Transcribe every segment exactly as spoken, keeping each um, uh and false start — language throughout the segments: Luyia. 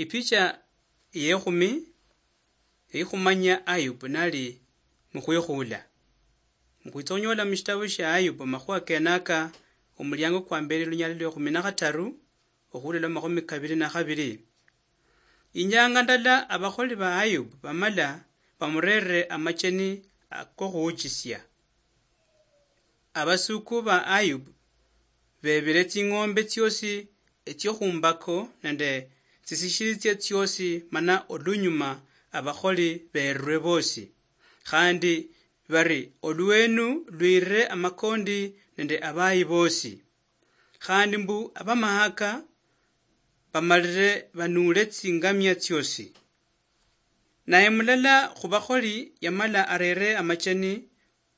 Ipicha yekhumi, eyikhumanya Ayubu nali mukhwikhuula. Mukhwitsa khunyola mushitabu shia Ayubu amakhuwa kenaka, omuliango kwa mberi, lunyala lwa ekhumi na khataru, okhulola mu makhumi kabiri na khabiri. Inyanga ndala abakholi ba Ayubu bamala bamurerere amacheni akokhuuchisia. Abasuku ba Ayubu bebire tsing'ombe tsiosi etsio khumbako nende tsisishilitsia tsiosi, mana olunyuma abakholi berwe bosi. Khandi bari, "Olwenu lwirire amakondi nende abayi bosi." Khandi mbu abamahaka bamalire banuule tsingamia tsiosi. Naye mulala khubakholi yamala arere amacheni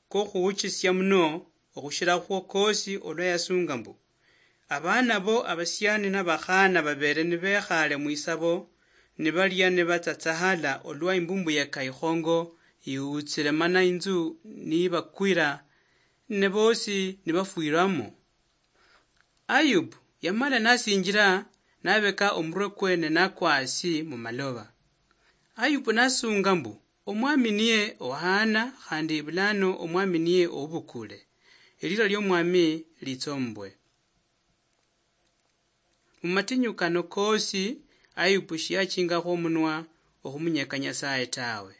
kokhuuchisia muno okhushirakhwo kosi olwa yasunga mbu, abaana bo abasiani nabakhaana babeere nibekhaale mwisabo, nibalia nibatsatsahala olwa imbumbuyeka ikhongo iutsire mana inzu nibakwira, ne bosi nibafwiramo. Ayubu yamala nasinjira, nabeka omurwe kwe ne nakwa asi mumaloba. Ayubu nasunga mbu, "Omwami niye ohaana, khandi bulano Omwami niye oubukule. Elira liomwami litsombwe." Mumatinyu kano kosi, Ayubu shiyachingakho omunwa okhumunyeka Nyasaye tawe.